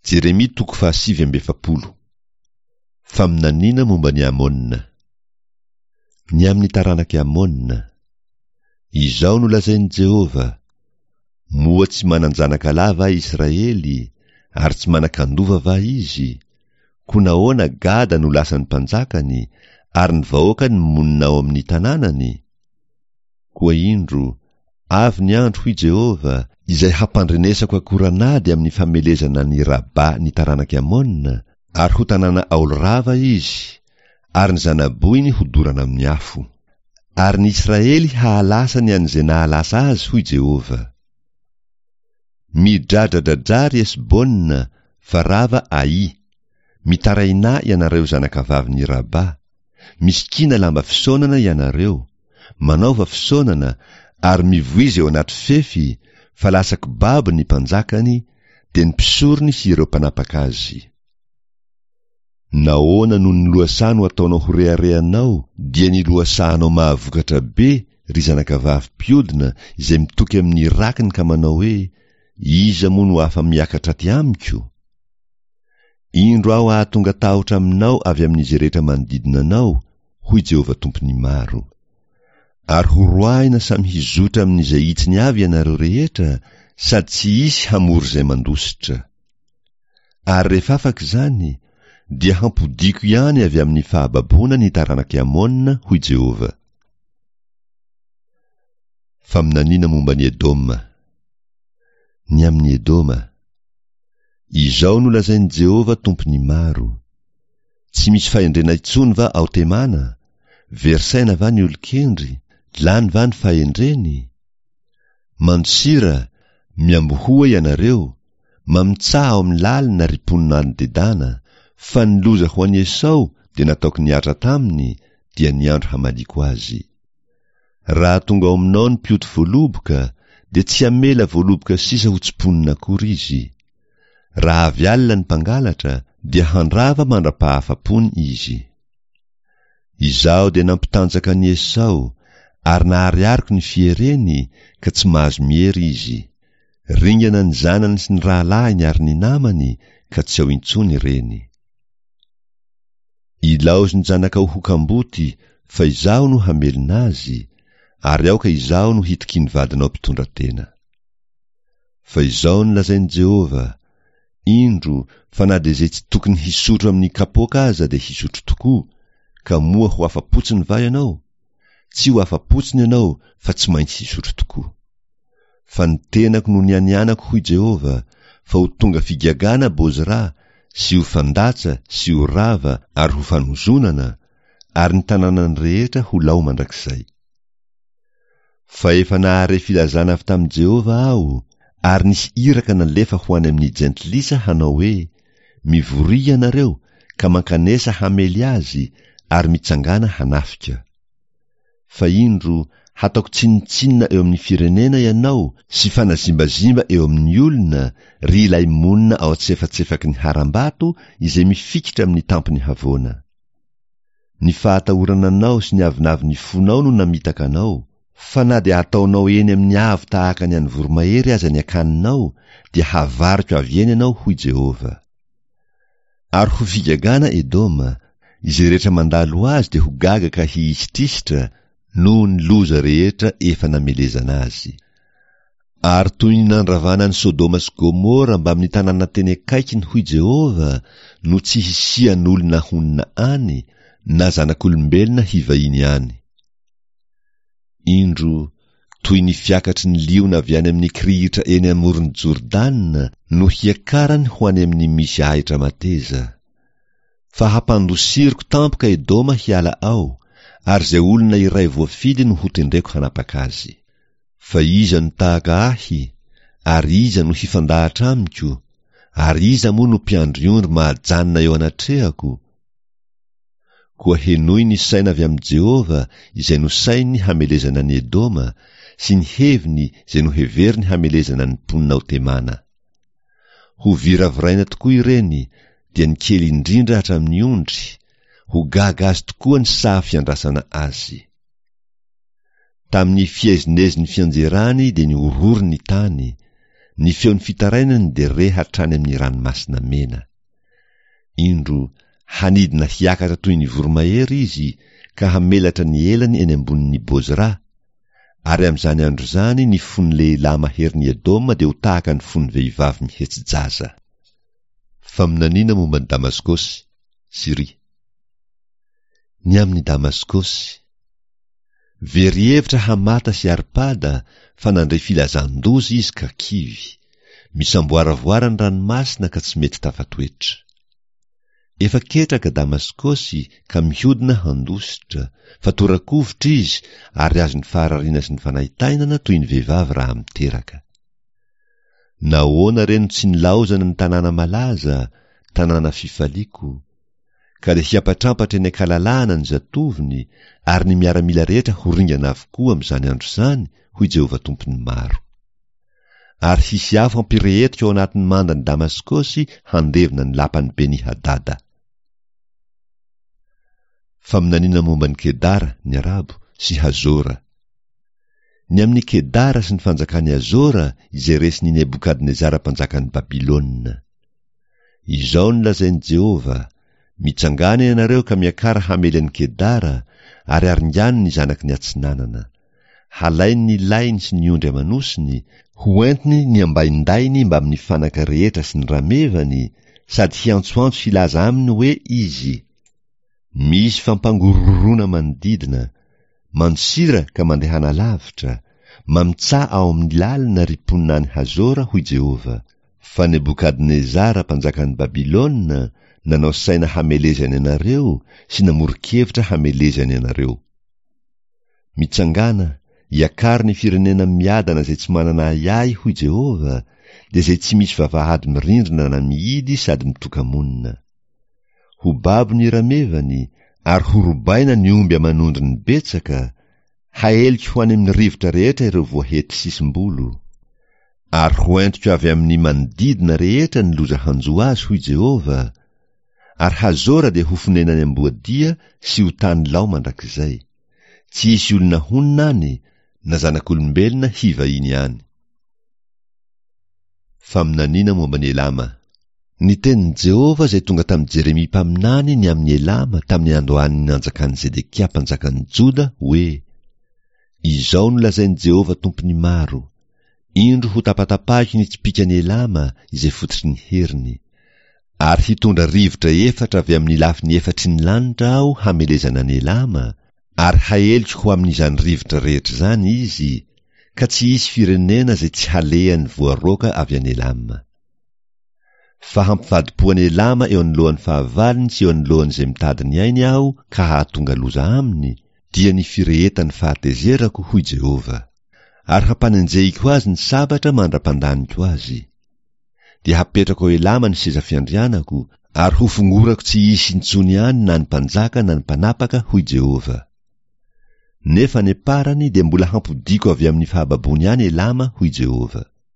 Jeremia toko fahasivy amby 40. Faminaniana momba an'i Amôna. Ny amin'ny taranak'i Amôna. Izao no lazain'i Jehovah, Moa tsy manan-janaka lahy va Israely, ary tsy manan-kandova va izy? Koa nahoana Gada no lasan'ny mpanjakany, ary ny vahoakany monina ao amin'ny tanànany? Koa indro, avy ny andro, hoy Jehovah, izay hampandrenesako akoran'ady amin'ny famelezana an'i Rabà ny taranak'i Amôna, ary ho tanàna aolo rava izy, ary ny zana-bohiny hodorana amin'ny afo. Ary ny Israely hahalasa ny an'izay nahalasa azy, hoy Jehovah. Midradradradrà ry Hesbona, fa rava Aï. Mitarainà ianareo zanakavavin'i Rabà. Misikina lamba fisaonana ianareo, manaova fisaonana, ary mivoiza eo anaty fefy, fa lasa kibabo ny mpanjakany, dia ny mpisorony sy ireo mpanapaka azy. Nahoana no ny lohasaha no ataonao ho reharehanao, dia ny lohasahanao mahavokatra be, ry zanakavavy mpiodina izay mitoky amin'ny rakiny ka manao hoe, Iza moa no afa-miakatra aty amiko? Indro aho hahatonga tahotra aminao avy amin'izay rehetra manodidina anao, hoy Jehovah Tompon'ny maro. Ary horoahina samy hizotra amin'izay hitsiny avy ianareo rehetra, sady tsy hisy hamory izay mandositra. Ary rehefa afaka izany, dia hampodiako ihany avy amin'ny fahababoana ny taranak'i Amona, hoy Jehovah. Faminaniana momba an'i Edoma. Ny amin'i Edoma. Izao no lazain'i Jehovah Tompon'ny maro, Tsy misy fahendrena intsony va ao Temana? Very saina va ny olon-kendry? Lany va ny fahendreny? Mandosira, miambohoa ianareo, mamitsaha ao amin'ny lalina ry mponina any Dedana, fa ny loza ho an'i Esao dia nataoko nihatra taminy, dia ny andro hamaliako azy. Raha tonga ao aminao ny mpioty voaloboka, dia tsy hamela voaloboka sisa ho tsimponina akory izy. Raha avy alina ny mpangalatra, dia handrava mandra-pahafapony izy. Izaho dia nampitanjaka an'i Esao, ary naharihariko ny fiereny, ka tsy mahazo miery izy. Ringana ny zanany sy ny rahalahiny ary ny namany, ka tsy ao intsony ireny. Ilaozy ny zanakao ho kamboty, fa izaho no hamelona azy, ary aoka izaho no hitokian'ny vadinao mpitondra tena. Fa izao no lazain'i Jehovah, Indro, fa na dia izay tsy tokony hisotro amin'ny kapoaka aza dia hisotro tokoa, ka moa ho afa-potsiny va ianao? Tsy ho afa-potsiny ianao fa tsy maintsy hisotro tokoa. Fa ny tenako no nianianako, hoy Jehovah, fa ho tonga figagana Bozra, sy ho fandatsa, sy ho rava, ary ho fanozonana, ary ny tanànany rehetra ho lao mandrakizay. Fa efa nahare filazana avy tamin'i Jehovah aho, ary nisy iraka nalefa ho any amin'ny jentilisa hanao hoe, Mivoria ianareo, ka mankanesa hamely azy, ary mitsangàna hanafika. Fa indro, hataoko tsinontsinona eo amin'ny firenena ianao sy fanazimbazimba eo amin'ny olona, ry ilay monina ao an-tsefatsefaky ny harambato izay mifikitra amin'ny tampon'ny havoana. Ny fahatahorana anao sy ny avonavon'ny fonao no namitaka anao, fa na dia hataonao eny amin'ny avo tahaka ny an'ny voromahery aza ny akaninao, dia havariko avy eny ianao, hoy Jehovah. Ary ho figagana Edoma, izay rehetra mandalo azy dia ho gaga ka hihisitrihitra noho ny loza rehetra efa namelezana azy. Ary toy ny nandravana an'i Sodoma sy Gomora mbamin'ny tanàna teny akaikiny, hoy Jehovah, no tsy hisian'olona honina any, na zanak'olombelona hivahiny any. Indro, toy ny fiakatry ny liona avy any amin'ny kirihitra eny amoron'i Jordana no hiakarany ho any amin'ny misy ahitra mateza. Fa hampandosiriko tampoka Edoma hiala ao, ary izay olona iray voafidy no hotendreko hanapaka azy. Fa iza no tahaka ahy, ary iza no hifandahatra amiko, ary iza moa no mpiandry ondry mahajanona eo anatrehako? Koa henoy ny saina avy amin'i Jehovah izay nosaininy hamelezana an'i Edoma, sy ny heviny izay noheveriny hamelezana ny mponina ao Temana. Ho viraviraina tokoa ireny, dia ny kely indrindra hatramin'ny ondry, ho gaga azy tokoa ny saha fiandrasana azy. Tamin'ny fiezinezin'ny fianjerany dia nihorohoro ny tany, Ny feon'ny fitarainany dia re hatrany amin'ny Ranomasina Mena. Indro, hanidina hiakatra toy ny voromahery izy ka hamelatra ny elany eny ambonin'i Bozra, ary amin'izany andro izany ny fon'ny lehilahy maherin'i Edoma dia ho tahaka ny fon'ny vehivavy mihetsi-jaza. Faminaniana momba an'i Damaskosy, Syria. Ny amin'i Damaskosy. Very hevitra Hamata sy Arpada fa nandre filazan-doza izy ka kivy. Misamboaravoara ny ranomasina ka tsy mety tafatoetra. Efa ketraka Damaskosy ka mihodina handositra, fa tora-kovitra izy ary azon'ny faharariana sy ny fanaintainana toy ny vehivavy raha miteraka. Nahoana re no tsy nilaozana ny tanàna malaza, tanàna fifaliako? Ka dia hiampatrampatra eny an-kalalahana ny zatovony, ary ny miaramila rehetra ho ringana avokoa amin'izany andro izany, hoy Jehovah Tompon'ny maro. Ary hisy afo hampirehetiko ao anatin'ny mandan'i Damaskosy handevona ny lapan'i Beni-hadada. Faminaniana momba an'i Kedara, ny Arabo, sy Hazora. Ny amin'i Kedara sy ny fanjakan'i Hazora izay resin'i Nebokadnezara mpanjakan'i Babylona. Izao no lazain'i Jehovah, Mitsangàna ianareo ka miakara hamely an'i Kedara, ary aringano ny zanaky ny atsinanana. Halainy ny lainy sy ny ondry aman'osiny, hoentiny ny ambaindainy mbamin'ny fanaka rehetra sy ny ramevany, sady hiantsoantso hilaza aminy hoe izy, Misy fampangorohoroana manodidina, mandosira ka mandehana lavitra, mamitsaha ao amin'ny lalina ry mponina any Hazora, hoy Jehovah, fa Nebokadnezara mpanjakan'i Babylona nanao saina hamelezany anareo sy namoron-kevitra hamelezany anareo. Mitsangàna, iakaro ny firenena miadana izay tsy manana ahiahy, hoy Jehovah, dia izay tsy misy vavahady mirindrina na mihidy sady mitoka-monina. Ho babo ny ramevany, ary horobaina ny omby aman'ondriny betsaka, haeliko ho any amin'ny rivotra rehetra ireo voahety sisim-bolo. Ary hoentiko avy amin'ny manodidina rehetra ny loza hanjo azy, hoy Jehovah, ary Hazora dia ho fonenan'ny amboadia sy ho tany lao mandrakizay. Tsy hisy olona honina any, na zanak'olombelona hivahiny any. Faminaniana momba an'i Elama. Ny tenin'i Jehovah izay tonga tamin'i Jeremia mpaminany ny amin'i Elama tamin'ny androan'ny nanjakan'i Zedekia mpanjakan'i Joda, hoe, Izao no lazain'i Jehovah Tompon'ny maro, Indro hotapatapahiko ny tsipìkan'i Elama izay fototry ny heriny. Ary hitondra rivotra efatra avy amin'ny lafiny efatry ny lanitra aho hamelezana an'i Elama, ary haeliko ho amin'izany rivotra rehetra izany izy, ka tsy hisy firenena izay tsy halehany voaroaka avy any Elama. Fa hampivadi-po an'i Elama eo anoloan'ny fahavalony sy eo anoloan'izay mitady ny ainy aho ka hahatonga loza aminy, dia ny firehetan'ny fahatezerako, hoy Jehovah. Ary hampanenjehiko azy ny sabatra mandra-pandaniko azy. Dia hapetrako ao Elama ny seza fiandrianako, ary hofongorako tsy hisy intsony any na ny mpanjaka na ny mpanapaka, hoy Jehovah. Nefa any am-parany dia mbola hampodiako avy amin'ny fahababoany any Elama, hoy Jehovah.